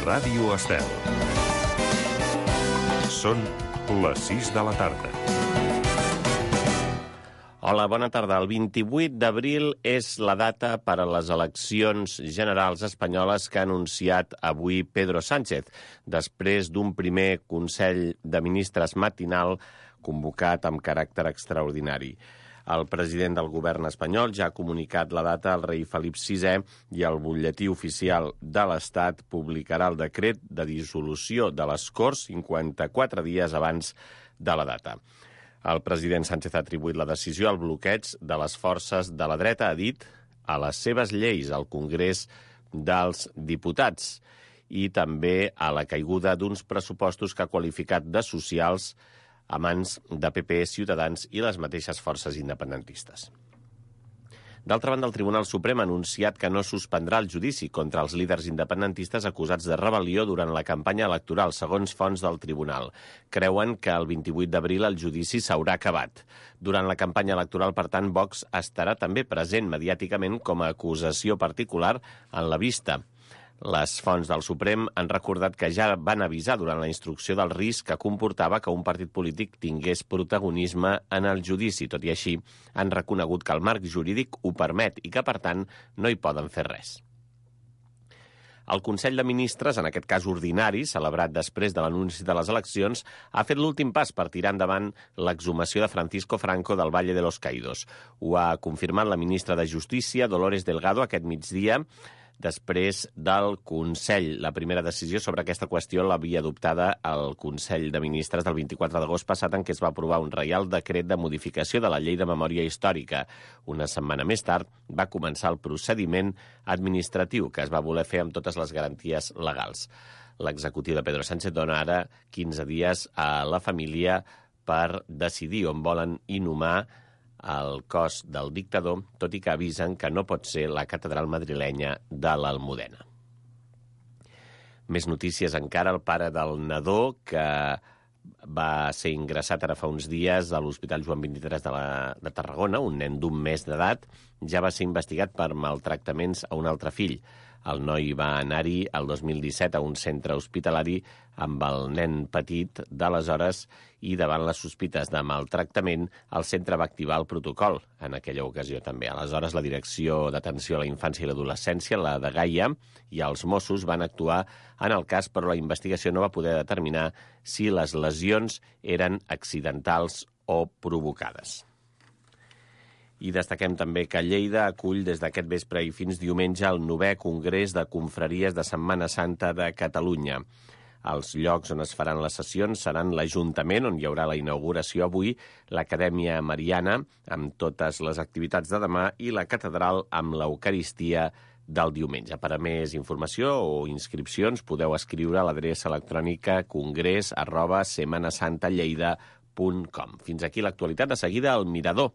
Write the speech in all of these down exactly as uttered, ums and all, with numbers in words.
Ràdio Estel. Són les sis de la tarda. Hola, bona tarda. El vint-i-vuit d'abril és la data per a les eleccions generals espanyoles que ha anunciat avui Pedro Sánchez, després d'un primer Consell de Ministres matinal convocat amb caràcter extraordinari. El president del govern espanyol ja ha comunicat la data al rei Felip sisè i el butlletí oficial de l'Estat publicarà el decret de dissolució de les Corts cinquanta-quatre dies abans de la data. El president Sánchez ha atribuït la decisió al bloqueig de les forces de la dreta, ha dit, a les seves lleis al Congrés dels Diputats i també a la caiguda d'uns pressupostos que ha qualificat de socials a mans de P P, Ciutadans i les mateixes forces independentistes. D'altra banda, el Tribunal Suprem ha anunciat que no suspendrà el judici contra els líders independentistes acusats de rebel·lió durant la campanya electoral, segons fonts del tribunal. Creuen que el vint-i-vuit d'abril el judici s'haurà acabat. Durant la campanya electoral, per tant, Vox estarà també present mediàticament com a acusació particular en la vista. Les fonts del Suprem han recordat que ja van avisar durant la instrucció del risc que comportava que un partit polític tingués protagonisme en el judici. Tot i així, han reconegut que el marc jurídic ho permet i que, per tant, no hi poden fer res. El Consell de Ministres, en aquest cas ordinari, celebrat després de l'anunci de les eleccions, ha fet l'últim pas per tirar endavant l'exhumació de Francisco Franco del Valle de los Caídos. Ho ha confirmat la ministra de Justícia, Dolores Delgado, aquest migdia, després del Consell. La primera decisió sobre aquesta qüestió l'havia adoptada el Consell de Ministres del vint-i-quatre d'agost passat, en què es va aprovar un reial decret de modificació de la Llei de Memòria Històrica. Una setmana més tard va començar el procediment administratiu, que es va voler fer amb totes les garanties legals. L'executiu de Pedro Sánchez dona ara quinze dies a la família per decidir on volen inhumar el cos del dictador, tot i que avisen que no pot ser la catedral madrilenya de l'Almudena. Més notícies encara. El pare del nadó, que va ser ingressat ara fa uns dies a l'Hospital Joan vint-i-tres de, la, de Tarragona, un nen d'un mes d'edat, ja va ser investigat per maltractaments a un altre fill. El noi va anar-hi el dos mil disset a un centre hospitalari amb el nen petit d'aleshores i davant les sospites de maltractament el centre va activar el protocol en aquella ocasió també. Aleshores la Direcció d'Atenció a la Infància i l'Adolescència, la de Gaia, i els Mossos van actuar en el cas, però la investigació no va poder determinar si les lesions eren accidentals o provocades. I destaquem també que Lleida acull des d'aquest vespre i fins diumenge el novè Congrés de Confraries de Setmana Santa de Catalunya. Els llocs on es faran les sessions seran l'Ajuntament, on hi haurà la inauguració avui, l'Acadèmia Mariana, amb totes les activitats de demà, i la Catedral amb l'Eucaristia del diumenge. Per a més informació o inscripcions podeu escriure a l'adreça electrònica congrés arroba setmanasantallleida punt com. Fins aquí l'actualitat. De seguida, el Mirador.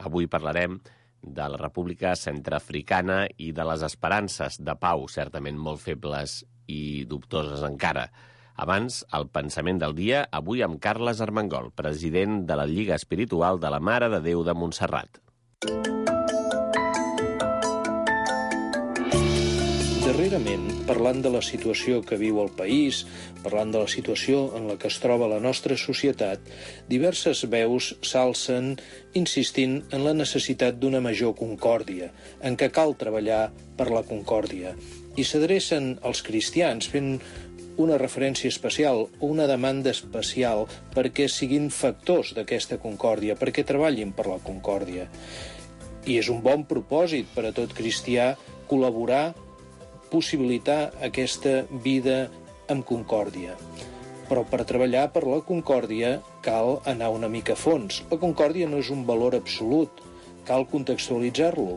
Avui parlarem de la República Centreafricana i de les esperances de pau, certament molt febles i dubtoses encara. Abans, el pensament del dia, avui amb Carles Armengol, president de la Lliga Espiritual de la Mare de Déu de Montserrat. Darrerament, parlant de la situació que viu el país, parlant de la situació en la que es troba la nostra societat, diverses veus s'alcen insistint en la necessitat d'una major concòrdia, en què cal treballar per la concòrdia. I s'adrecen als cristians fent una referència especial o una demanda especial perquè siguin factors d'aquesta concòrdia, perquè treballin per la concòrdia. I és un bon propòsit per a tot cristià col·laborar, possibilitar aquesta vida amb concòrdia. Però per treballar per la concòrdia cal anar una mica a fons. La concòrdia no és un valor absolut, cal contextualitzar-lo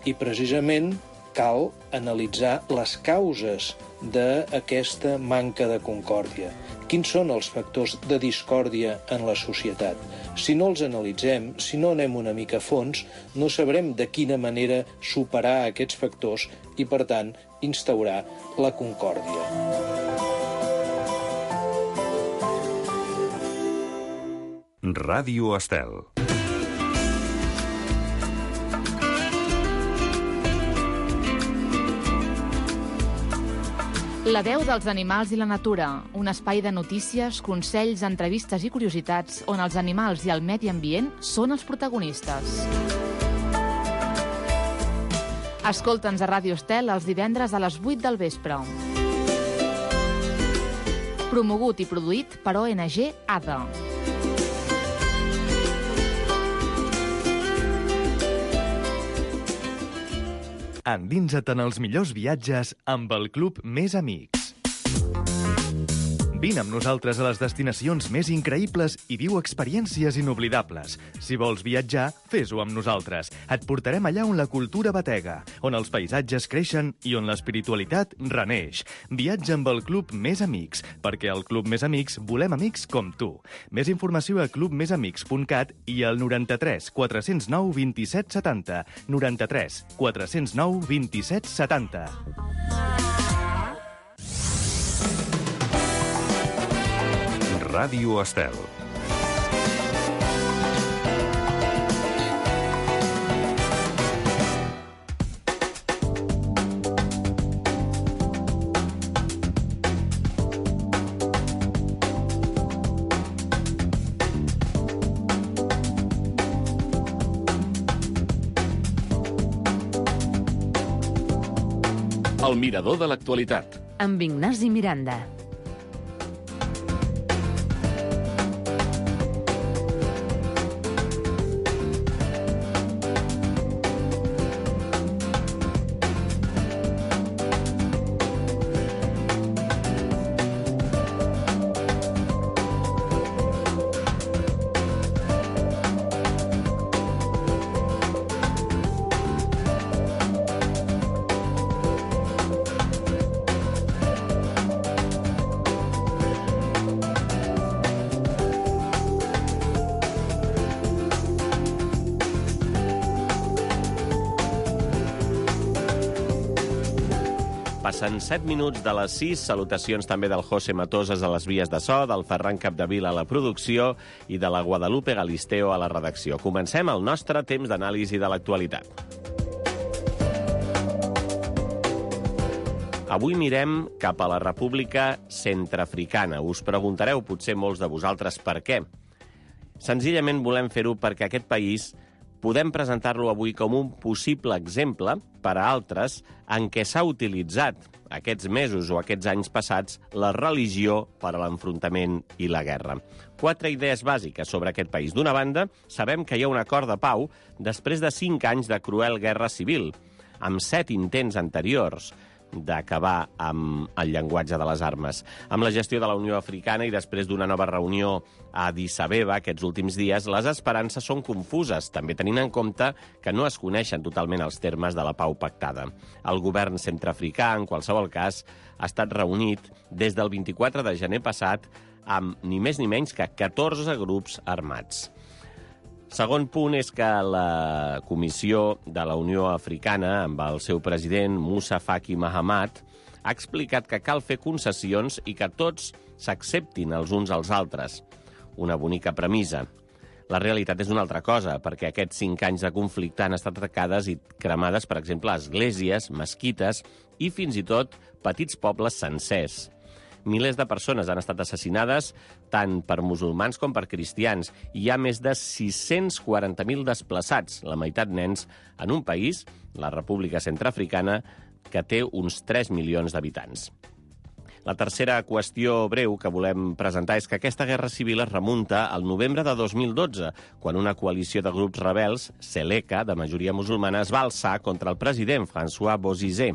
i precisament cal analitzar les causes d'aquesta manca de concòrdia. Quins són els factors de discòrdia en la societat? Si no els analitzem, si no anem una mica a fons, no sabrem de quina manera superar aquests factors i, per tant, instaurar la concòrdia. Ràdio Estel. La veu dels animals i la natura, un espai de notícies, consells, entrevistes i curiositats on els animals i el medi ambient són els protagonistes. Escolta'ns a Ràdio Estel els divendres a les vuit del vespre. Promogut i produït per O N G A D A. Endinsa't en els millors viatges amb el Club Més Amics. Vine amb nosaltres a les destinacions més increïbles i viu experiències inoblidables. Si vols viatjar, fes-ho amb nosaltres. Et portarem allà on la cultura batega, on els paisatges creixen i on l'espiritualitat reneix. Viatja amb el Club Més Amics, perquè al Club Més Amics volem amics com tu. Més informació a club més amics punt cat i al noranta-tres quatre zero nou vint-i-set setanta. noranta-tres quatre zero nou vint-i-set setanta. Ràdio Estel. El mirador de l'actualitat. Amb Ignasi Miranda. Passen set minuts de les sis. Salutacions també del José Matoses a les vies de so, del Ferran Capdevila a la producció i de la Guadalupe Galisteo a la redacció. Comencem el nostre temps d'anàlisi de l'actualitat. Avui mirem cap a la República Centreafricana. Us preguntareu, potser molts de vosaltres, per què. Senzillament volem fer-ho perquè aquest país podem presentar-lo avui com un possible exemple per a altres en què s'ha utilitzat aquests mesos o aquests anys passats la religió per a l'enfrontament i la guerra. Quatre idees bàsiques sobre aquest país. D'una banda, sabem que hi ha un acord de pau després de cinc anys de cruel guerra civil, amb set intents anteriors d'acabar amb el llenguatge de les armes. Amb la gestió de la Unió Africana i després d'una nova reunió a Addis Abeba aquests últims dies, les esperances són confuses, també tenint en compte que no es coneixen totalment els termes de la pau pactada. El govern centreafricà, en qualsevol cas, ha estat reunit des del vint-i-quatre de gener passat amb ni més ni menys que catorze grups armats. Segon punt és que la Comissió de la Unió Africana, amb el seu president Moussa Faki Mahamat, ha explicat que cal fer concessions i que tots s'acceptin els uns als altres. Una bonica premissa. La realitat és una altra cosa, perquè aquests cinc anys de conflicte han estat atacades i cremades, per exemple, esglésies, mesquites i fins i tot petits pobles sencers. Milers de persones han estat assassinades, tant per musulmans com per cristians, i hi ha més de sis-cents quaranta mil desplaçats, la meitat nens, en un país, la República Centreafricana, que té uns tres milions d'habitants. La tercera qüestió breu que volem presentar és que aquesta guerra civil es remunta al novembre de dos mil dotze, quan una coalició de grups rebels, Seleka, de majoria musulmana, es va alçar contra el president François Bozizé.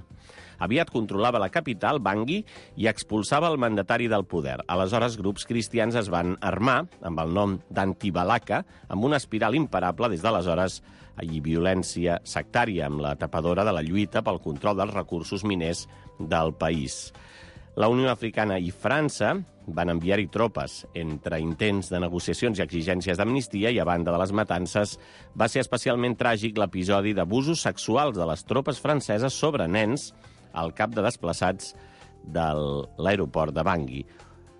Aviat controlava la capital, Bangui, i expulsava el mandatari del poder. Aleshores, grups cristians es van armar, amb el nom d'Antibalaka, amb una espiral imparable des d'aleshores i violència sectària, amb la tapadora de la lluita pel control dels recursos miners del país. La Unió Africana i França van enviar-hi tropes. Entre intents de negociacions i exigències d'amnistia i a banda de les matances, va ser especialment tràgic l'episodi d'abusos sexuals de les tropes franceses sobre nens al cap de desplaçats de l'aeroport de Bangui.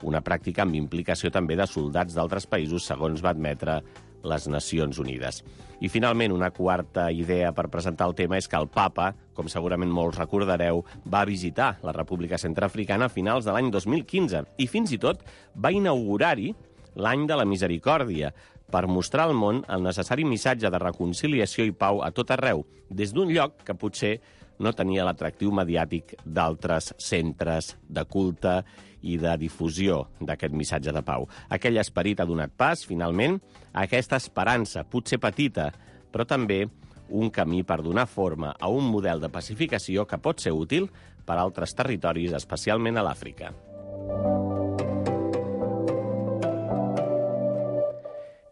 Una pràctica amb implicació també de soldats d'altres països, segons va admetre les Nacions Unides. I, finalment, una quarta idea per presentar el tema és que el papa, com segurament molts recordareu, va visitar la República Centreafricana a finals de l'any dos mil quinze i, fins i tot, va inaugurar-hi l'any de la misericòrdia, per mostrar al món el necessari missatge de reconciliació i pau a tot arreu, des d'un lloc que potser no tenia l'atractiu mediàtic d'altres centres de culte i de difusió d'aquest missatge de pau. Aquell esperit ha donat pas, finalment, a aquesta esperança, potser petita, però també un camí per donar forma a un model de pacificació que pot ser útil per a altres territoris, especialment a l'Àfrica.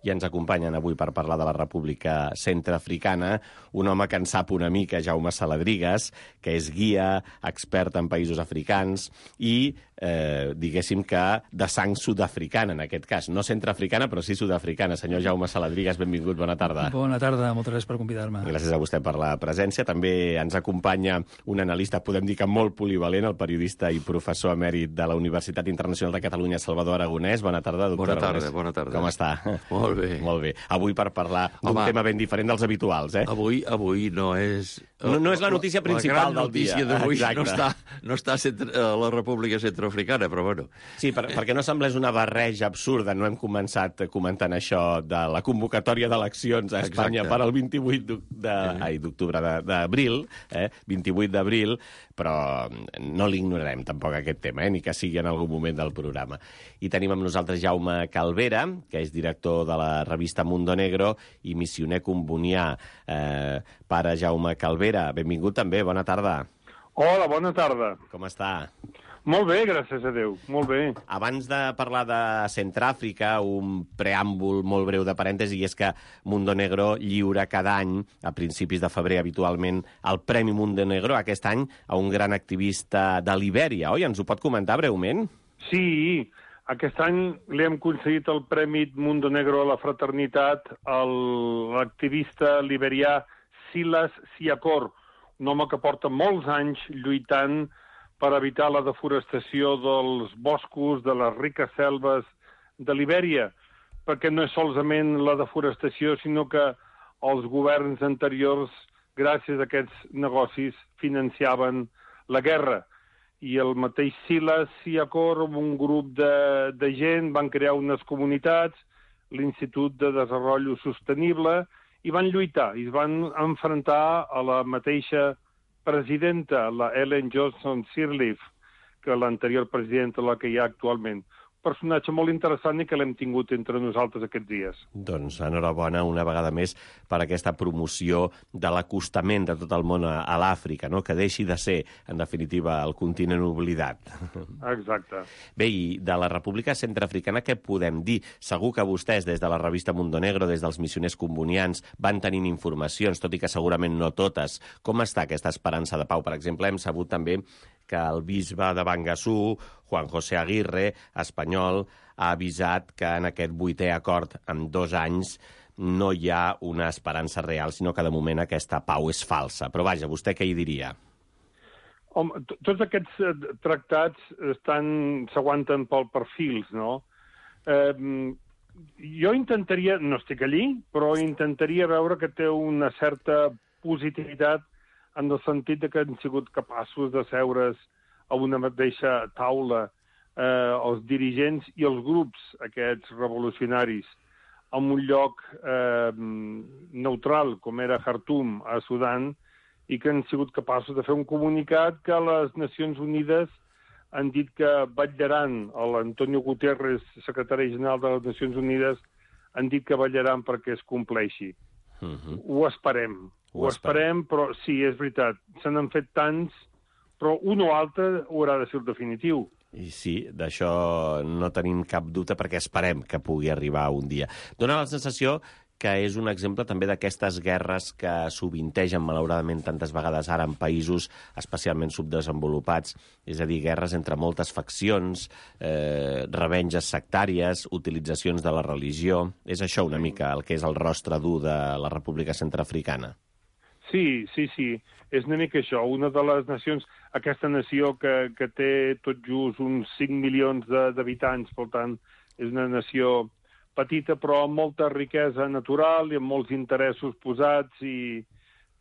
I ens acompanyen avui per parlar de la República Centreafricana un home que en sap una mica, Jaume Saladrigas, que és guia, expert en països africans i, eh, diguéssim que de sang sud-africana, en aquest cas. No centreafricana, però sí sud-africana. Senyor Jaume Saladrigas, benvingut, bona tarda. Bona tarda, moltes gràcies per convidar-me. Gràcies a vostè per la presència. També ens acompanya un analista, podem dir que molt polivalent, el periodista i professor emèrit de la Universitat Internacional de Catalunya, Salvador Aragonès. Bona tarda, doctor Bona tarda, Aragonès. bona tarda. Com està? Molt bé. Molt bé. Avui per parlar d'un Home, tema ben diferent dels habituals, eh? Avui, avui no és... No, no és la notícia principal la del dia. La gran notícia d'avui Exacte. no està, no està a, centre, a la República Centroafricana, però bueno. Sí, per, perquè no semblés una barreja absurda. No hem començat comentant això de la convocatòria d'eleccions a Espanya Exacte. per al vint-i-vuit d'octubre d'abril, eh? vint-i-vuit d'abril, però no l'ignorarem tampoc aquest tema, eh? Ni que sigui en algun moment del programa. I tenim amb nosaltres Jaume Calvera, que és director de la revista Mundo Negro i missioner combonià. Eh, pare Jaume Calvera, benvingut també, bona tarda. Hola, bona tarda. Com està? Molt bé, gràcies a Déu, molt bé. Abans de parlar de Centràfrica, un preàmbul molt breu de parèntesi, i és que Mundo Negro lliura cada any, a principis de febrer habitualment, el Premi Mundo Negro, aquest any, a un gran activista de Libèria, oi? Ens ho pot comentar breument? Sí, aquest any li hem concedit el Premi Mundo Negro a la fraternitat a l'activista liberià Silas Siakor, un home que porta molts anys lluitant per evitar la deforestació dels boscos, de les riques selves de Libèria, perquè no és solament la deforestació, sinó que els governs anteriors, gràcies a aquests negocis, financiaven la guerra. I el mateix Silas Siakor, amb un grup de, de gent, van crear unes comunitats, l'Institut de Desenvolupament Sostenible, i van lluitar, i es van enfrontar a la mateixa presidenta, la Ellen Johnson Sirleaf, que l'anterior presidenta, la que hi ha actualment. Un personatge molt interessant i que l'hem tingut entre nosaltres aquests dies. Doncs enhorabona una vegada més per aquesta promoció de l'acostament de tot el món a, a l'Àfrica, no? Que deixi de ser, en definitiva, el continent oblidat. Exacte. Bé, i de la República Centreafricana què podem dir? Segur que vostès, des de la revista Mundo Negro, des dels missioners combonians, van tenint informacions, tot i que segurament no totes. Com està aquesta esperança de pau? Per exemple, hem sabut també que el bisbe de Bangassou, Juan José Aguirre, espanyol, ha avisat que en aquest vuitè acord en dos anys no hi ha una esperança real, sinó que de moment aquesta pau és falsa. Però vaja, vostè què hi diria? Home, tots aquests eh, tractats estan s'aguanten pel perfils, no? Eh, jo intentaria, no estic allí, però intentaria veure que té una certa positivitat en el sentit que han sigut capaços de seure's a una mateixa taula eh, els dirigents i els grups, aquests revolucionaris, en un lloc eh, neutral, com era Khartoum, a Sudan, i que han sigut capaços de fer un comunicat que les Nacions Unides han dit que vetllaran, l'Antonio Guterres, secretari general de les Nacions Unides, han dit que vetllaran perquè es compleixi. Uh-huh. Ho esperem. Ho, Ho esperem, però sí, és veritat, se n'han fet tants, però un o altre haurà de ser el definitiu. I sí, d'això no tenim cap dubte perquè esperem que pugui arribar un dia. Dóna la sensació que és un exemple també d'aquestes guerres que sovintegen, malauradament, tantes vegades ara en països especialment subdesenvolupats, és a dir, guerres entre moltes faccions, eh, revenges sectàries, utilitzacions de la religió. És això una mica el que és el rostre dur de la República Centreafricana. Sí, sí, sí, és una mica això. Una de les nacions, aquesta nació que, que té tot just uns cinc milions d'habitants, per tant, és una nació petita però amb molta riquesa natural i amb molts interessos posats i,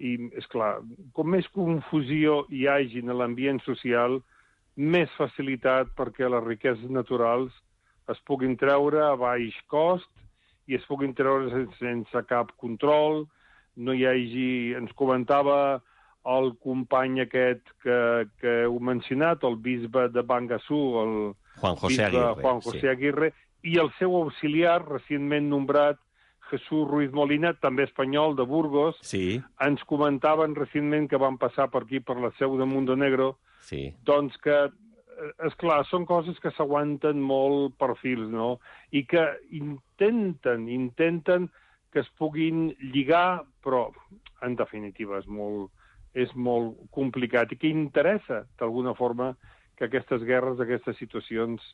i és clar, com més confusió hi hagi en l'ambient social, més facilitat perquè les riqueses naturals es puguin treure a baix cost i es puguin treure sense, sense cap control, no hi hagi... Ens comentava el company aquest que, que heu mencionat, el bisbe de Bangassou, el Juan José bisbe Aguirre, Juan José sí. Aguirre, i el seu auxiliar, recentment nombrat, Jesús Ruiz Molina, també espanyol, de Burgos, Sí, ens comentaven recentment que van passar per aquí, per la seu de Montenegro, sí. doncs que, és clar, són coses que s'aguanten molt per fils, no? I que intenten, intenten que es puguin lligar, però, en definitiva, és molt, és molt complicat i que interessa, d'alguna forma, que aquestes guerres, aquestes situacions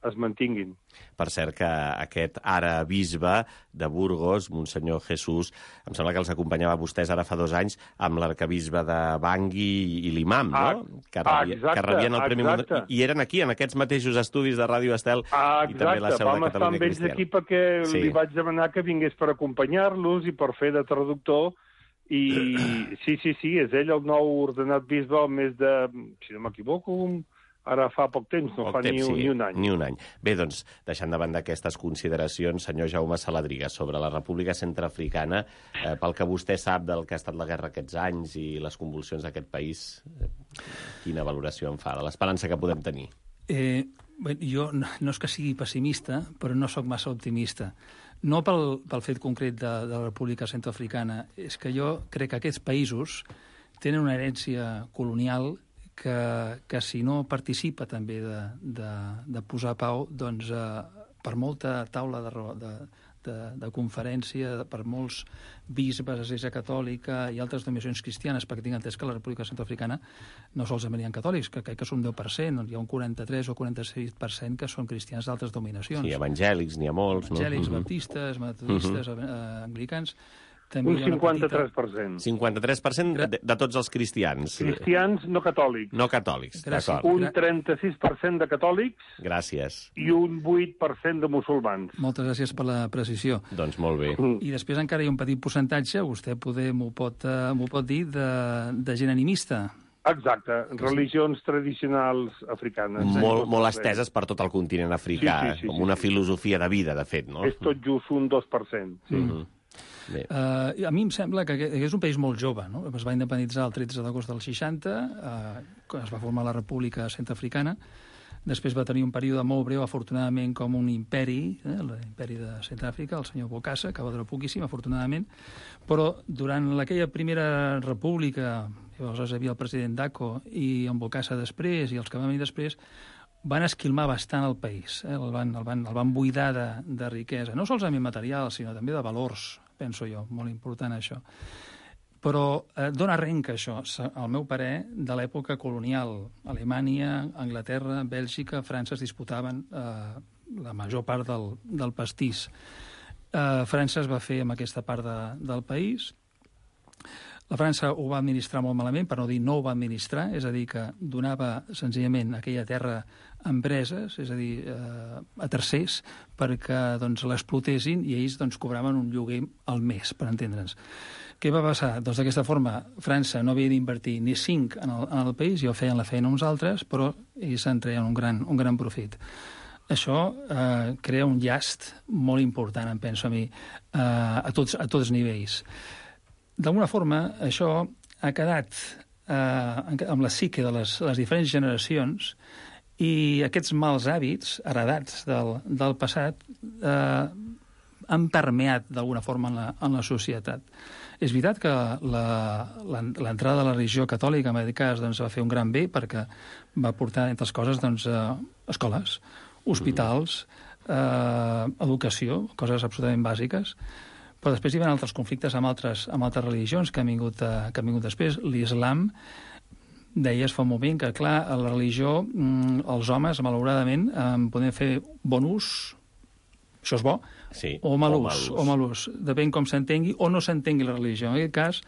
es mantinguin. Per cert, que aquest ara bisbe de Burgos, Monsenyor Jesús, em sembla que els acompanyava vostès ara fa dos anys amb l'arcabisbe de Bangui i l'imam, no? Ah, que, rebia, exacte, que rebien el Premi exacte. Mundial. I eren aquí, en aquests mateixos estudis de Ràdio Estel Ah, i també la exacte, seu de vam estar Catalunya amb ells Cristiana. aquí perquè Sí. li vaig demanar que vingués per acompanyar-los i per fer de traductor i sí, sí, sí, és ell el nou ordenat bisbe al mes de, si no m'equivoco, ara fa poc temps, no Poc fa temps, ni, un, sí, ni un any. Ni un any. Bé, doncs, deixant de banda aquestes consideracions, senyor Jaume Saladriga, sobre la República Centreafricana, eh, pel que vostè sap del que ha estat la guerra aquests anys i les convulsions d'aquest país, eh, quina valoració en fa de l'esperança que podem tenir? Eh, bé, jo no, no és que sigui pessimista, però no sóc massa optimista. No pel, pel fet concret de, de la República Centreafricana, és que jo crec que aquests països tenen una herència colonial que, que si no participa també de, de, de posar pau, doncs eh, per molta taula de, de, de, de conferència, per molts bisbes, Església Catòlica i altres denominacions cristianes, perquè tinc entès que la República Centreafricana no solament hi ha catòlics, que crec que són deu per cent, hi ha un quaranta-tres o quaranta-sis per cent que són cristians d'altres dominacions. Sí, evangèlics, n'hi ha molts, Evangèlics, no? baptistes, metodistes, uh -huh. eh, anglicans... També Un hi ha una cinquanta-tres petita... per cent. cinquanta-tres per cent de, de tots els cristians. Cristians no catòlics. No catòlics, Gràcies. d'acord. Un trenta-sis per cent de catòlics Gràcies. i un vuit per cent de musulmans. Moltes gràcies per la precisió. Doncs molt bé. I després encara hi ha un petit percentatge, vostè poder m'ho pot, uh, m'ho pot dir, de, de gent animista. Exacte, religions tradicionals africanes. Molt, molt esteses per tot el continent africà, Sí, sí, sí, com sí, una sí. filosofia de vida, de fet, no? És tot just un dos per cent. Sí. Mm -hmm. Bé. Uh, a mi em sembla que és un país molt jove, no? Es va independitzar el tretze d'agost del seixanta, uh, es va formar la República Centreafricana, després va tenir un període molt breu, afortunadament, com un imperi, eh, l'imperi de Centreàfrica, el senyor Bokassa, que va durar poquíssim, afortunadament, però durant aquella primera república, llavors hi havia el president Dako i en Bokassa després, i els que van venir després, van esquilmar bastant el país, eh? el, van, el, van, el van buidar de, de riquesa, no solament material, sinó també de valors, penso jo, molt important això. Però eh, dona arrenca això, al meu parer, de l'època colonial. Alemanya, Anglaterra, Bèlgica, França es disputaven eh, la major part del, del pastís. Eh, França es va fer amb aquesta part de, del país. La França ho va administrar molt malament, per no dir no ho va administrar, és a dir, que donava senzillament aquella terra a empreses, és a dir, eh, a tercers, perquè doncs, l'explotessin i ells doncs, cobraven un lloguer al mes, per entendre'ns. Què va passar? Doncs d'aquesta forma, França no havia d'invertir ni cinc en el, en el país, i ho feien la feina uns altres, però ells en treien un gran, un gran profit. Això eh, crea un llast molt important, em penso a mi, eh, a, tots, a tots nivells. D'alguna forma, això ha quedat eh, amb la psique de les, les diferents generacions i aquests mals hàbits heredats del, del passat eh, han permeat d'alguna forma en la, en la societat. És veritat que l'entrada de la religió catòlica en aquest cas doncs, va fer un gran bé perquè va portar, entre les coses, doncs, eh, escoles, hospitals, eh, educació, coses absolutament bàsiques, però després hi ha altres conflictes amb altres, amb altres religions que han vingut, eh, que han vingut després. L'islam, deies fa un moment que, clar, a la religió mm, els homes, malauradament, eh, poden fer bon ús, això és bo, sí, o mal o ús, mal ús. o mal ús, depèn com s'entengui o no s'entengui la religió. En aquest cas,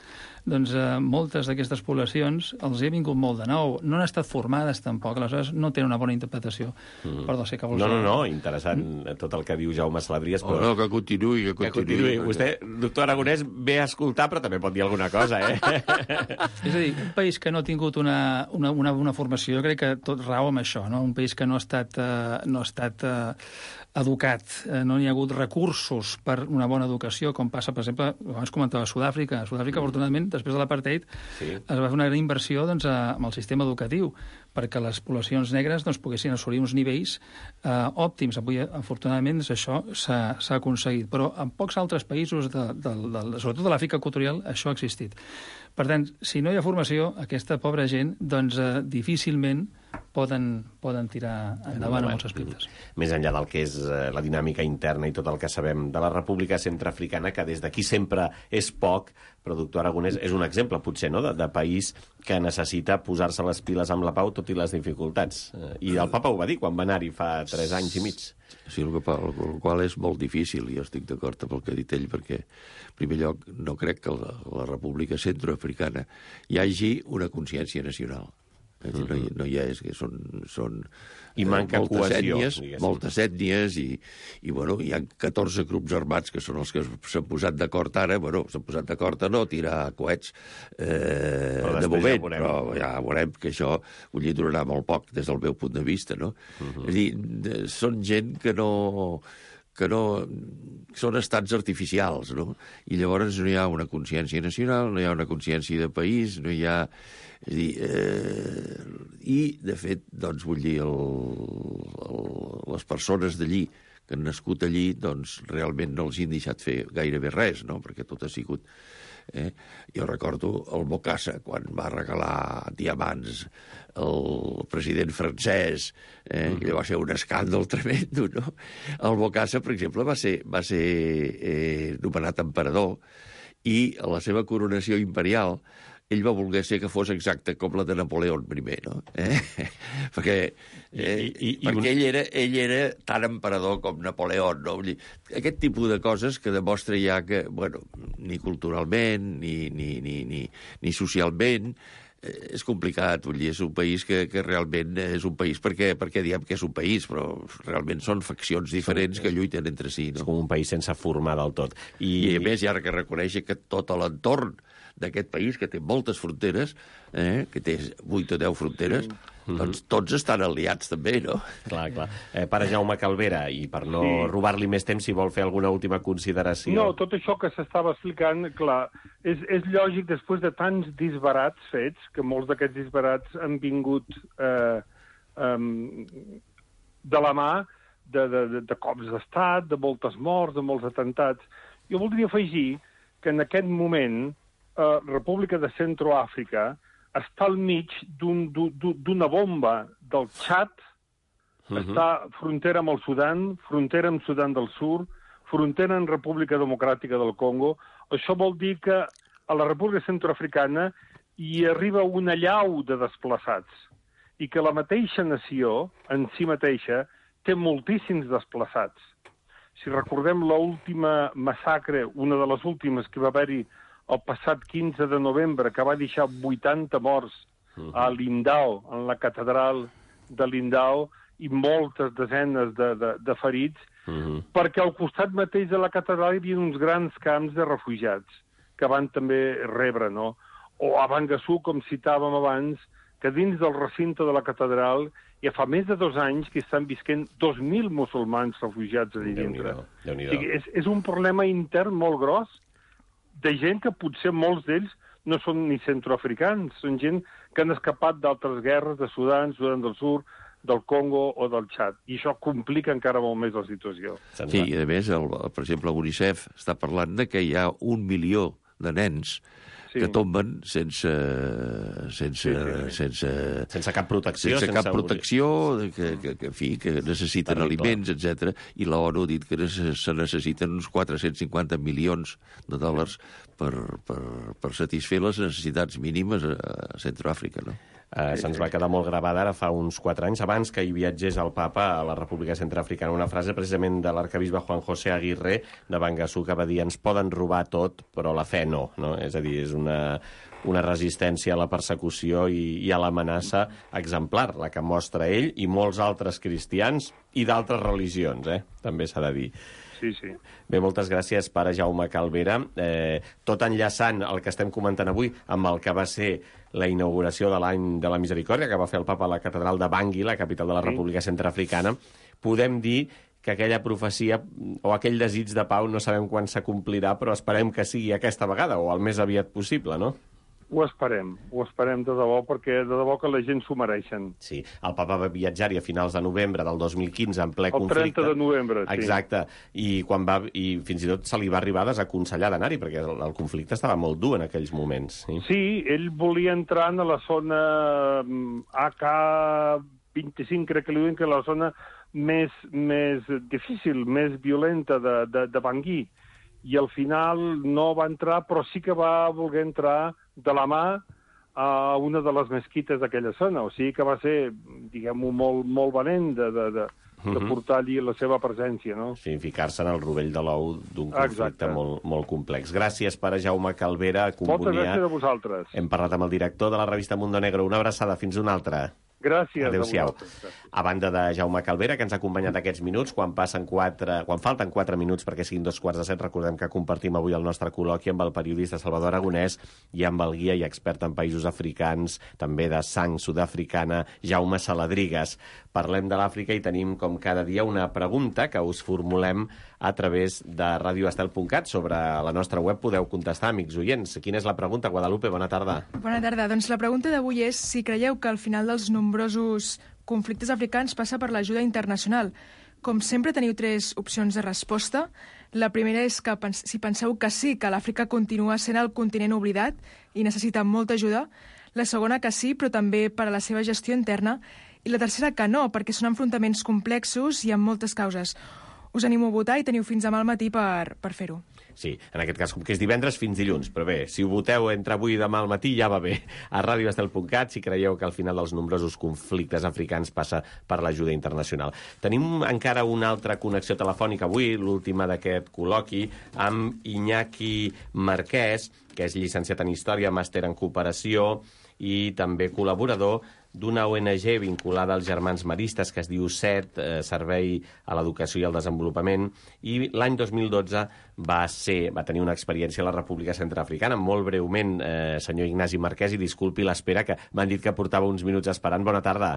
doncs eh, moltes d'aquestes poblacions els hi ha vingut molt de nou. No han estat formades tampoc, aleshores no tenen una bona interpretació. Mm. Perdó, sé que vols... No, no, no, interessant mm. tot el que diu Jaume Salabries. Però... Oh, no, que continuï, que continuï. Que continuï. Vostè, doctor Aragonès, ve a escoltar, però també pot dir alguna cosa, eh? És a dir, un país que no ha tingut una, una, una, una formació, jo crec que tot rau amb això, no? Un país que no ha estat, eh, no ha estat eh, educat, eh, no hi ha hagut recursos per una bona educació, com passa, per exemple, abans comentava Sud-àfrica. A Sud-àfrica, mm. afortunadament, després de l'apartheid, sí. es va fer una gran inversió doncs, amb el sistema educatiu, perquè les poblacions negres doncs, poguessin assolir uns nivells eh, òptims. Avui, afortunadament, això s'ha aconseguit. Però en pocs altres països, de, de, de, sobretot de l'Àfrica equatorial, això ha existit. Per tant, si no hi ha formació, aquesta pobra gent doncs, eh, difícilment poden, poden tirar endavant en molts aspectes. Més enllà del que és eh, la dinàmica interna i tot el que sabem de la República Centreafricana, que des d'aquí sempre és poc, però doctor Aragonès és un exemple, potser, no?, de, de país que necessita posar-se les piles amb la pau tot i les dificultats. I el papa ho va dir quan va anar-hi fa tres anys i mig. Sí, el, que, el qual és molt difícil, i jo estic d'acord amb el que ha dit ell, perquè, en primer lloc, no crec que la, la República Centroafricana hi hagi una consciència nacional. Mm-hmm. no, hi, no hi ha, és que són, són I manca moltes cohesió, ètnies, diguéssim. moltes ètnies i, i bueno, hi ha catorze grups armats que són els que s'han posat d'acord ara, bueno, s'han posat d'acord a no tirar coets eh, de moment, ja però ja veurem que això vull dir, durarà molt poc des del meu punt de vista, no? Mm-hmm. És a dir, de, són gent que no que no són estats artificials, no? I llavors no hi ha una consciència nacional, no hi ha una consciència de país, no hi ha... És a dir, eh, i, de fet, doncs, vull dir, el, el, les persones d'allí que han nascut allí, doncs, realment no els han deixat fer gairebé res, no?, perquè tot ha sigut... Eh? Jo recordo el Bokassa, quan va regalar diamants el president francès, eh? Mm. que va ser un escàndol tremendo, no? El Bokassa, per exemple, va ser, va ser eh, nomenat emperador i a la seva coronació imperial ell va voler ser que fos exacte com la de Napoleó primer, no? Eh? perquè eh, I, i, i perquè un... ell, era, ell era tan emperador com Napoleó, no? Aquest tipus de coses que demostra ja que, bueno, ni culturalment, ni, ni, ni, ni, ni socialment, eh, és complicat, vull dir, és un país que, que realment és un país, perquè, perquè diem que és un país, però realment són faccions diferents que lluiten entre si, no? És com un país sense formar del tot. I, I a més, hi ha que reconèixer que tot l'entorn d'aquest país, que té moltes fronteres, eh, que té vuit o deu fronteres, sí. doncs tots estan aliats també, no? Clar, clar. Eh, pare Jaume Calvera, i per no sí. robar-li més temps, si vol fer alguna última consideració. No, tot això que s'estava explicant, clar, és, és lògic després de tants disbarats fets, que molts d'aquests disbarats han vingut eh, um, de la mà de, de, de, de cops d'estat, de moltes morts, de molts atemptats. Jo voldria afegir que en aquest moment Uh, República de Centroàfrica està al mig d'una un, bomba del Txad, uh-huh. està frontera amb el Sudan, frontera amb Sudan del Sud, frontera amb República Democràtica del Congo. Això vol dir que a la República Centroafricana hi arriba una llau de desplaçats i que la mateixa nació, en si mateixa, té moltíssims desplaçats. Si recordem l'última massacre, una de les últimes que va haver-hi el passat quinze de novembre, que va deixar vuitanta morts uh-huh. a Lindau, en la catedral de Lindau, i moltes desenes de, de, de ferits, uh-huh. perquè al costat mateix de la catedral hi havia uns grans camps de refugiats, que van també rebre, no? O a Bangassou, com citàvem abans, que dins del recinte de la catedral ja fa més de dos anys que estan visquent dos mil musulmans refugiats allà dintre. Déu-n'hi-do, Déu-n'hi-do. O sigui, és, és un problema intern molt gros, de gent que potser molts d'ells no són ni centroafricans, són gent que han escapat d'altres guerres, de Sudan, Sudan del Sud, del Congo o del Txad. I això complica encara molt més la situació. Sí, i a més, el, per exemple, l'UNICEF està parlant de que hi ha un milió de nens sí. que tomben sense, sense, sí, sí. sense, sense cap protecció. Sense, sense cap protecció, que, que, que, en fi, que necessiten Terrible. aliments, etcètera. I l'ONU ha dit que se necessiten uns quatre-cents cinquanta milions de dòlars per, per, per satisfer les necessitats mínimes a Centroàfrica, no? Uh, Sí, Se'ns sí. va quedar molt gravada ara fa uns quatre anys, abans que hi viatgés el papa a la República Centreafricana. Una frase precisament de l'arcabisbe Juan José Aguirre de Bangassou que va dir: ens poden robar tot, però la fe no. no? És a dir, és una, una resistència a la persecució i, i a l'amenaça exemplar, la que mostra ell i molts altres cristians i d'altres religions, eh? també s'ha de dir. Sí, sí. Bé, moltes gràcies, pare Jaume Calvera. Eh, tot enllaçant el que estem comentant avui amb el que va ser la inauguració de l'any de la Misericòrdia, que va fer el papa a la catedral de Bangui, la capital de la Sí. República Centreafricana, podem dir que aquella profecia o aquell desig de pau no sabem quan s'acomplirà, però esperem que sigui aquesta vegada o el més aviat possible, no? Ho esperem, ho esperem de debò, perquè de debò que la gent s'ho mereixen. Sí, el papa va viatjar-hi a finals de novembre del dos mil quinze en ple El conflicte. trenta de novembre, sí. Exacte, i, quan va, i fins i tot se li va arribar a desaconsellar d'anar-hi, perquè el, el conflicte estava molt dur en aquells moments. Sí, Sí, ell volia entrar a la zona mm, A K vint-i-cinc, crec que li diuen que la zona més, més difícil, més violenta de, de, de Bangui. I al final no va entrar, però sí que va voler entrar de la mà a una de les mesquites d'aquella zona. O sigui que va ser, diguem-ho, molt, molt valent de, de, de, de portar allí la seva presència, no? Sí, ficar-se en el rovell de l'ou d'un conflicte molt, molt complex. Gràcies, pare Jaume Calvera. Moltes gràcies a vosaltres. Hem parlat amb el director de la revista Mundo Negro. Una abraçada, fins una altra. Gràcies Adéu-siau. a vosaltres. A banda de Jaume Calvera, que ens ha acompanyat aquests minuts, quan passen quatre, quan falten quatre minuts perquè siguin dos quarts de set, recordem que compartim avui el nostre col·loqui amb el periodista Salvador Aragonès i amb el guia i expert en països africans, també de sang sud-africana, Jaume Saladrigas. Parlem de l'Àfrica i tenim, com cada dia, una pregunta que us formulem a través de radio estel punt cat. Sobre la nostra web podeu contestar, amics oients. Quina és la pregunta, Guadalupe? Bona tarda. Bona tarda. Doncs la pregunta d'avui és si creieu que al final dels nombrosos conflictes africans passa per l'ajuda internacional. Com sempre, teniu tres opcions de resposta. La primera és que si penseu que sí, que l'Àfrica continua sent el continent oblidat i necessita molta ajuda. La segona que sí, però també per a la seva gestió interna. I la tercera que no, perquè són enfrontaments complexos i amb moltes causes. Us animo a votar i teniu fins demà al matí per, per fer-ho. Sí, en aquest cas, com que és divendres, fins dilluns. Però bé, si ho voteu entre avui i demà al matí, ja va bé. A radio estel punt cat, si creieu que al final dels nombrosos conflictes africans passa per l'ajuda internacional. Tenim encara una altra connexió telefònica avui, l'última d'aquest col·loqui, amb Iñaki Marquès, que és llicenciat en Història, màster en Cooperació i també col·laborador d'una O N G vinculada als Germans Maristes que es diu S E T, eh, Servei a l'Educació i al Desenvolupament, i l'any dos mil dotze va, ser, va tenir una experiència a la República Centreafricana. Molt breument, eh, senyor Ignasi Marquès, i disculpi l'espera, que m'han dit que portava uns minuts esperant. Bona tarda.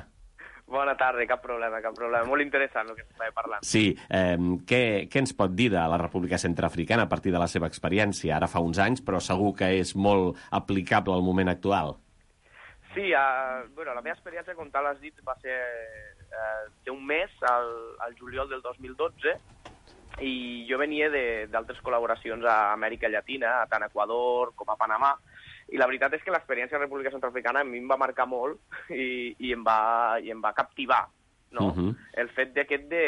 Bona tarda, cap problema, cap problema. Molt interessant el que s'estava parlant. Sí, eh, què, què ens pot dir de la República Centreafricana a partir de la seva experiència? Ara fa uns anys, però segur que és molt aplicable al moment actual. Sí, uh, bueno, la meva experiència, com tal has dit, va ser uh, d'un mes, al, al juliol del dos mil dotze, i jo venia d'altres col·laboracions a Amèrica Llatina, tant a Equador com a Panamà, i la veritat és que l'experiència de la República Centreafricana a mi em va marcar molt i, i, em, va, i em va captivar, no? Uh-huh. El fet d'aquest de...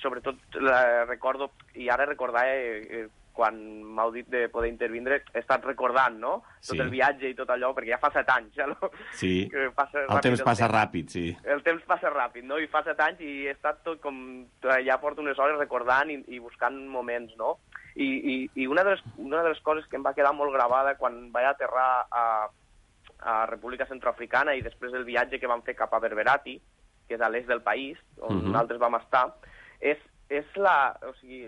Sobretot la, recordo, i ara recordar... Eh, eh, quan m'heu dit de poder intervindre, he estat recordant, no? Tot sí. El viatge i tot allò, perquè ja fa set anys, ja, no? Sí, passa el temps el passa temps. ràpid, sí. El temps passa ràpid, no? I fa set anys i he estat tot com... Ja porto unes hores recordant i, i buscant moments, no? I, i, i una, de les, una de les coses que em va quedar molt gravada quan vaig aterrar a, a República Centroafricana i després del viatge que vam fer cap a Berberati, que és a l'est del país, on uh-huh. nosaltres vam estar, és és la, o sigui,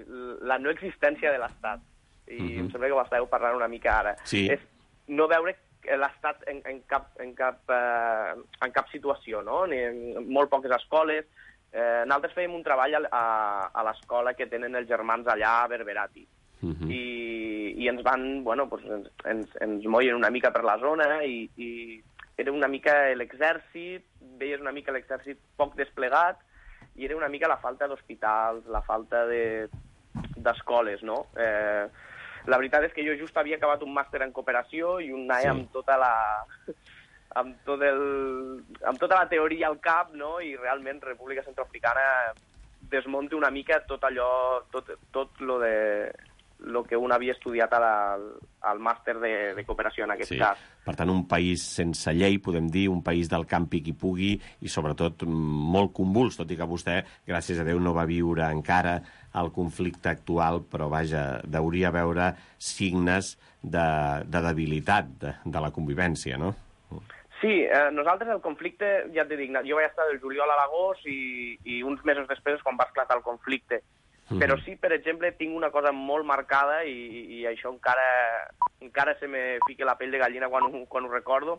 la no existència de l'Estat. I uh-huh. em sembla que ho estàveu parlant una mica ara. Sí. És no veure l'Estat en, en, cap, en, cap, eh, en cap situació, no? Ni en molt poques escoles. Eh, nosaltres fèiem un treball a, a l'escola que tenen els germans allà a Berberati. Uh-huh. I, I ens van, bueno, pues, ens, ens, ens moien una mica per la zona i, i era una mica l'exèrcit, veies una mica l'exèrcit poc desplegat, i era una mica la falta d'hospitals, la falta d'escoles, de, no? Eh, la veritat és que jo just havia acabat un màster en cooperació i un sí. amb tota la... amb, tot el, amb tota la teoria al cap, no? I realment República Centroafricana desmunta una mica tot allò, tot, tot lo de el que un havia estudiat a la, al màster de, de cooperació, en aquest sí. cas. Per tant, un país sense llei, podem dir, un país del campi qui pugui, i sobretot molt convuls, tot i que vostè, gràcies a Déu, no va viure encara el conflicte actual, però vaja, deuria veure signes de, de debilitat de, de la convivència, no? Sí, eh, nosaltres el conflicte, ja t'he dit, jo vaig estar del juliol a l'agost i, i uns mesos després quan va esclatar el conflicte. Mm. Però sí, per exemple, tinc una cosa molt marcada i, i això encara, encara se me fica la pell de gallina quan ho, quan ho recordo,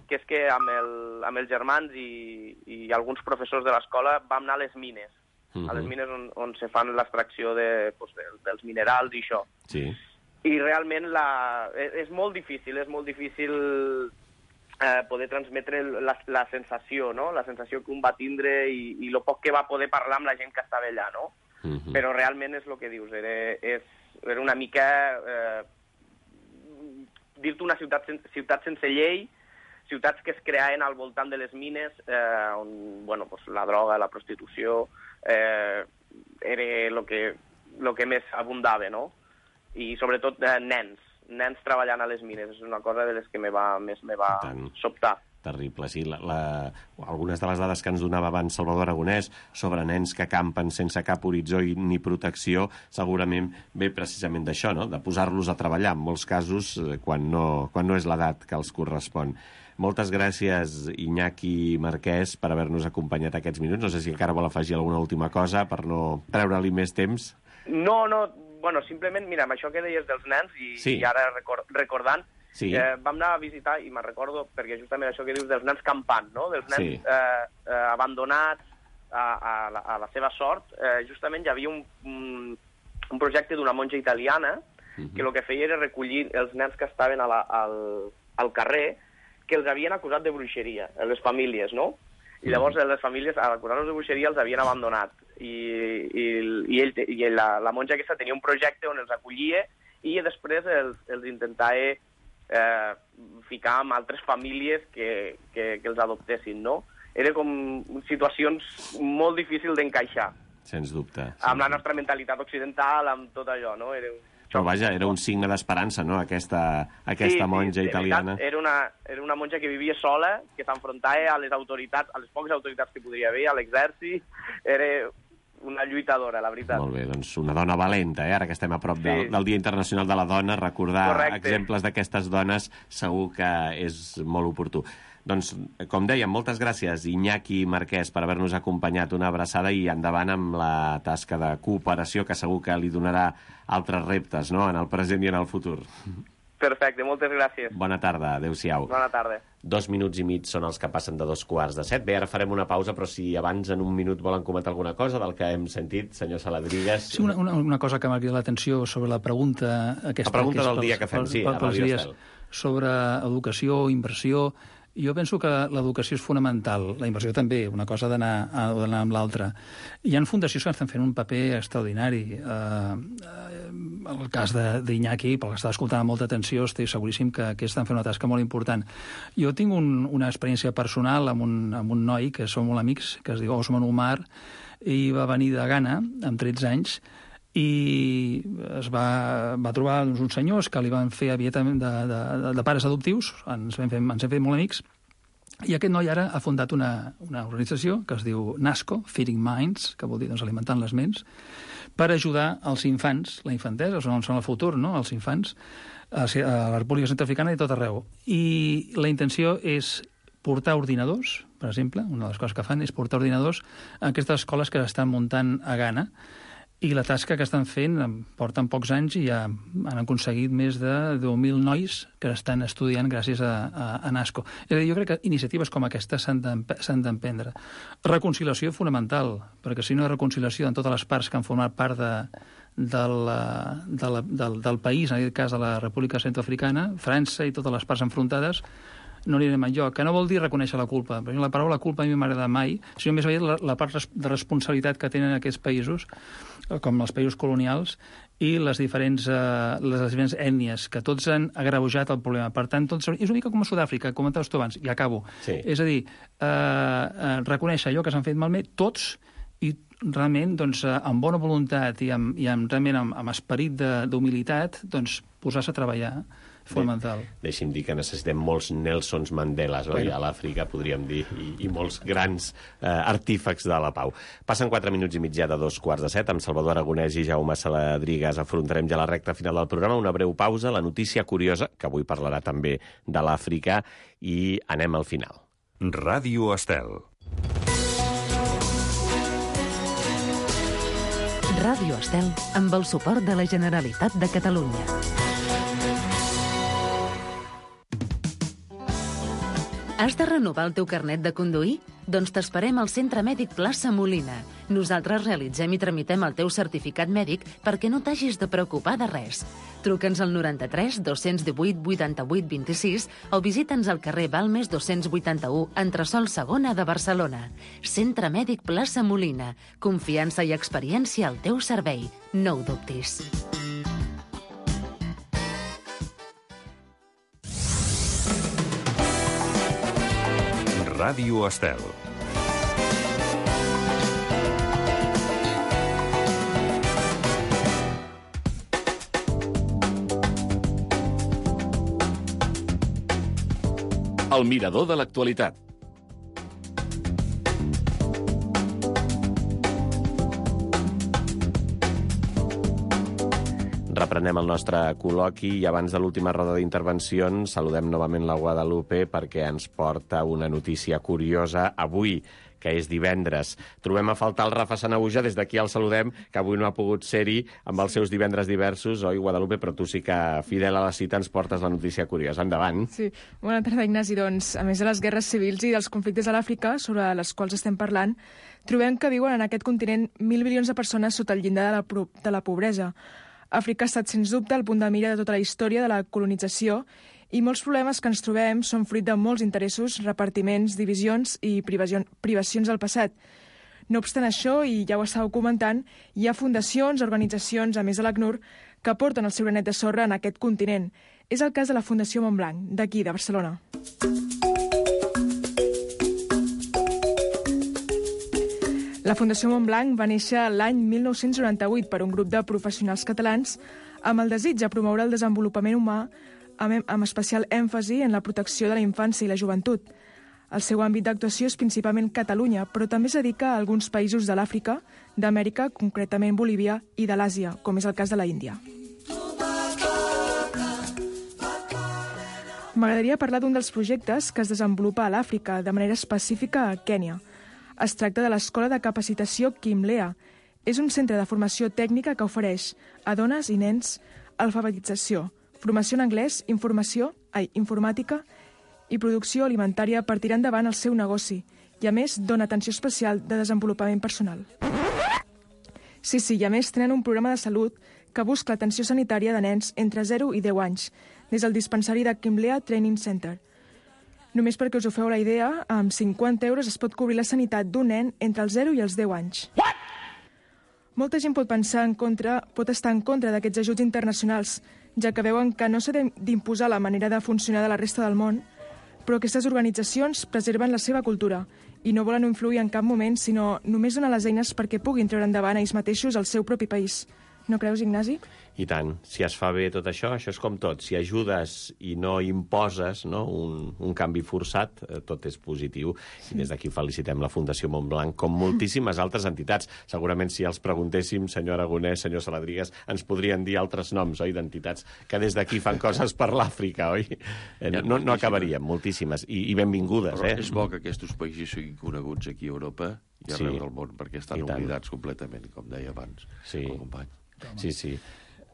que és que amb, el, amb els germans i, i alguns professors de l'escola vam anar a les mines, mm-hmm. a les mines on, on se fan l'extracció de, pues, de, dels minerals i això. Sí. I realment la, és, és molt difícil, és molt difícil eh, poder transmetre la, la sensació, no? La sensació que un va tindre i, i el poc que va poder parlar amb la gent que estava allà, no? Mm-hmm. Però realment és el que dius, era, és, era una mica eh, dir-te una ciutat, sen, ciutat sense llei, ciutats que es creaven al voltant de les mines, eh, on bueno, pues, la droga, la prostitució, eh, era el que, lo que més abundava, no? I sobretot eh, nens, nens treballant a les mines, és una cosa de les que me va, més me va sobtar. Terrible, sí. La, la... Algunes de les dades que ens donava abans Salvador Aragonès sobre nens que campen sense cap horitzó i ni protecció, segurament ve precisament d'això, no? De posar-los a treballar, en molts casos, quan no, quan no és l'edat que els correspon. Moltes gràcies, Iñaki Marquès, per haver-nos acompanyat aquests minuts. No sé si encara vol afegir alguna última cosa per no treure-li més temps. No, no, bueno, simplement, mira, amb això que deies dels nens, i, sí. i ara record, recordant, sí. eh, vam anar a visitar, i me'n recordo, perquè justament això que dius dels nens campant, no? Dels nens sí. eh, eh, abandonats a, a, la, a la seva sort, eh, justament hi havia un, un, un projecte d'una monja italiana uh-huh. que el que feia era recollir els nens que estaven a la, al, al carrer, que els havien acusat de bruixeria, les famílies, no? I llavors les famílies, a acusar-los de bruixeria, els havien abandonat. I, i, i, ell, i la, la monja aquesta tenia un projecte on els acollia i després els, els intentava eh, ficar amb altres famílies que, que, que els adoptessin, no? Era com situacions molt difícils d'encaixar. Sens dubte. Amb la nostra mentalitat occidental, amb tot allò, no? Era un Però vaja, era un signe d'esperança, no?, aquesta, aquesta sí, monja sí, italiana. Era una, era una monja que vivia sola, que s'enfrontava a les autoritats, a les poques autoritats que podria haver, a l'exèrcit. Era una lluitadora, la veritat. Molt bé, doncs una dona valenta, eh? Ara que estem a prop sí. del, del Dia Internacional de la Dona, recordar Correcte. exemples d'aquestes dones segur que és molt oportú. Doncs, com dèiem, moltes gràcies, Iñaki Marquès, per haver-nos acompanyat. Una abraçada i endavant amb la tasca de cooperació, que segur que li donarà altres reptes, no?, en el present i en el futur. Perfecte, moltes gràcies. Bona tarda, adéu-siau. Bona tarda. Dos minuts i mig són els que passen de dos quarts de set. Bé, ara farem una pausa, però si abans en un minut volen comentar alguna cosa del que hem sentit, senyor Saladrigues... Sí, una, una, una cosa que m'ha cridat l'atenció sobre la pregunta... Aquesta, la pregunta que del dia que fem, sí, a Radio Estel. Sobre educació, inversió... Jo penso que l'educació és fonamental, la inversió també, una cosa d'anar amb l'altra. Hi ha fundacions que estan fent un paper extraordinari. Eh, el cas d'Iñaki, pel que està escoltant amb molta atenció, estic seguríssim que, que estan fent una tasca molt important. Jo tinc un, una experiència personal amb un, amb un noi que som molt amics, que es diu Osman Umar, i va venir de Ghana amb tretze anys, i es va, va trobar doncs, uns senyors que li van fer aviat de, de, de pares adoptius, ens hem fet, ens hem fet molt amics, i aquest noi ara ha fundat una, una organització que es diu NASCO, Feeding Minds, que vol dir doncs, alimentant les ments, per ajudar els infants, la infantesa, són, són el futur, no?, els infants, a, a la República Centroafricana i tot arreu. I la intenció és portar ordinadors, per exemple, una de les coses que fan és portar ordinadors a aquestes escoles que estan muntant a Ghana, i la tasca que estan fent porten pocs anys i ja han aconseguit més de deu mil nois que estan estudiant gràcies a, a, a NASCO. És a dir, jo crec que iniciatives com aquestes s'han d'emprendre. Reconciliació fonamental, perquè si no hi ha reconciliació en totes les parts que han format part de, del, de la, del, del país, en aquest cas de la República Centroafricana, França i totes les parts enfrontades, no anirem enlloc, que no vol dir reconèixer la culpa. Perquè la paraula culpa a mi m'agrada mai, sinó més aviat la, la part de responsabilitat que tenen aquests països, com els països colonials, i les diferents, eh, les diferents ètnies, que tots han agreujat el problema. Per tant, tots, és una mica com a Sud-àfrica, comentaves tu abans, i acabo. Sí. És a dir, eh, eh, reconèixer allò que s'han fet malament, tots, i realment, doncs, amb bona voluntat i amb, i amb, realment amb, amb esperit d'humilitat, doncs, posar-se a treballar. Fonamental. Deixi'm dir que necessitem molts Nelsons Mandelas, oi? A l'Àfrica, podríem dir, i, i molts grans eh, artífecs de la pau. Passen quatre minuts i mitjà de dos quarts de set. Amb Salvador Aragonès i Jaume Saladrigas afrontarem ja la recta final del programa. Una breu pausa, la notícia curiosa, que avui parlarà també de l'Àfrica, i anem al final. Ràdio Estel. Ràdio Estel, amb el suport de la Generalitat de Catalunya. Has de renovar el teu carnet de conduir? Doncs t'esperem al Centre Mèdic Plaça Molina. Nosaltres realitzem i tramitem el teu certificat mèdic perquè no t'hagis de preocupar de res. Truca'ns al noranta-tres dos-cents divuit vuitanta-vuit vint-i-sis o visita'ns al carrer Balmes dos-cents vuitanta-u, entresòl segona de Barcelona. Centre Mèdic Plaça Molina. Confiança i experiència al teu servei. No ho dubtis. Ràdio Estel. El mirador de l'actualitat. Reprenem el nostre col·loqui i abans de l'última roda d'intervencions saludem novament la Guadalupe perquè ens porta una notícia curiosa avui, que és divendres. Trobem a faltar el Rafa Sanahuja, des d'aquí el saludem, que avui no ha pogut ser-hi amb els seus divendres diversos, oi, Guadalupe? Però tu sí que, fidel a la cita, ens portes la notícia curiosa. Endavant. Sí. Bona tarda, Ignasi. Doncs, a més de les guerres civils i dels conflictes a l'Àfrica, sobre les quals estem parlant, trobem que viuen en aquest continent mil milions de persones sota el llindar de la, de la pobresa. Àfrica ha estat, sens dubte, el punt de mira de tota la història de la colonització i molts problemes que ens trobem són fruit de molts interessos, repartiments, divisions i privacions del passat. No obstant això, i ja ho estàveu comentant, hi ha fundacions, organitzacions, a més de l'ACNUR, que porten el seu granet de sorra en aquest continent. És el cas de la Fundació Montblanc, d'aquí, de Barcelona. La Fundació Montblanc va néixer l'any mil nou-cents noranta-vuit per un grup de professionals catalans amb el desig de promoure el desenvolupament humà amb especial èmfasi en la protecció de la infància i la joventut. El seu àmbit d'actuació és principalment Catalunya, però també es dedica a alguns països de l'Àfrica, d'Amèrica, concretament Bolívia, i de l'Àsia, com és el cas de la Índia. M'agradaria parlar d'un dels projectes que es desenvolupa a l'Àfrica, de manera específica a Kènia. Es tracta de l'Escola de Capacitació Kimlea. És un centre de formació tècnica que ofereix a dones i nens alfabetització, formació en anglès, informació, ai, informàtica i producció alimentària per tirar endavant el seu negoci i, a més, dona atenció especial de desenvolupament personal. Sí, sí, i a més tenen un programa de salut que busca l'atenció sanitària de nens entre zero i deu anys, des del dispensari de Kimlea Training Center. Només perquè us ho feu la idea, amb cinquanta euros es pot cobrir la sanitat d'un nen entre els zero i els deu anys. What? Molta gent pot pensar en contra, pot estar en contra d'aquests ajuts internacionals, ja que veuen que no s'ha d'imposar la manera de funcionar de la resta del món, però aquestes organitzacions preserven la seva cultura i no volen influir en cap moment, sinó només donar les eines perquè puguin treure endavant ells mateixos el seu propi país. No creus, Ignasi? I tant. Si es fa bé tot això, això és com tot. Si ajudes i no imposes, no, un, un canvi forçat, eh, tot és positiu. Sí. I des d'aquí felicitem la Fundació Montblanc, com moltíssimes altres entitats. Segurament, si els preguntéssim, senyor Aragonès, senyor Saladrigas, ens podrien dir altres noms, oi, d'entitats que des d'aquí fan coses per l'Àfrica, oi? Eh, no, no acabaríem, moltíssimes. I, i benvingudes, Però eh? és bo que aquests països siguin coneguts aquí a Europa i arreu sí. del món, perquè estan oblidats completament, com deia abans sí. el company. Sí, sí.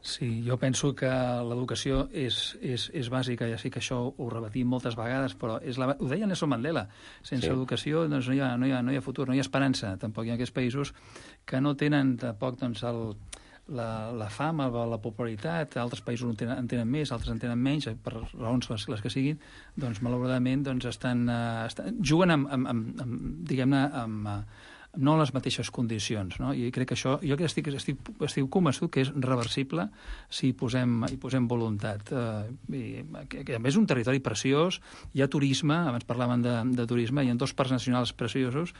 Sí, jo penso que l'educació és, és, és bàsica, ja sé que això ho repetim moltes vegades, però és la, ho deia Nelson Mandela, sense sí. educació doncs, no, hi ha, no, hi ha, no hi ha futur, no hi ha esperança. Tampoc hi ha aquests països que no tenen tampoc doncs, el, la, la fama, la popularitat, altres països en tenen, en tenen més, altres en tenen menys, per raons les, les que siguin, doncs malauradament doncs, estan, uh, estan, juguen amb, amb, amb, amb diguem-ne, amb, no en les mateixes condicions, no? I crec que això, jo que estic, estic, estic convençut que és reversible si hi posem, hi posem voluntat. Uh, i, que, que a més és un territori preciós, hi ha turisme, abans parlaven de, de turisme, hi ha dos parcs nacionals preciosos,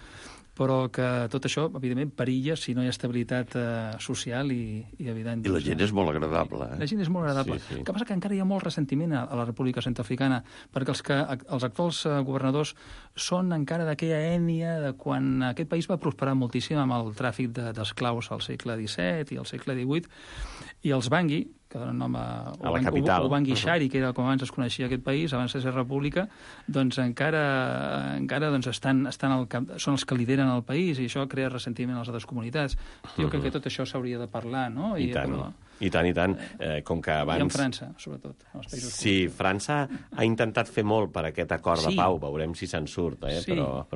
però que tot això, evidentment, perilla si no hi ha estabilitat eh, social i, i evident. I la gent és molt agradable. Eh? La gent és molt agradable. Sí, sí. El que passa que encara hi ha molt ressentiment a, a la República Centroafricana, perquè els, que, els actuals eh, governadors són encara d'aquella ètnia de quan aquest país va prosperar moltíssim amb el tràfic d'esclaus al segle disset i al segle divuit, i els Bangui, que donen nom a, a la capital. O Bangui Shari, que era com abans es coneixia aquest país, abans de ser república, doncs encara, encara doncs estan, estan al cap, són els que lideren el país, i això crea ressentiment a les altres comunitats. Jo crec que tot això s'hauria de parlar, no? I, I tant, però... i tant, i tant. Eh, com que abans... I en França, sobretot. En els països sí, França ha intentat fer molt per aquest acord sí. de pau, veurem si se'n surt, eh? Sí. però...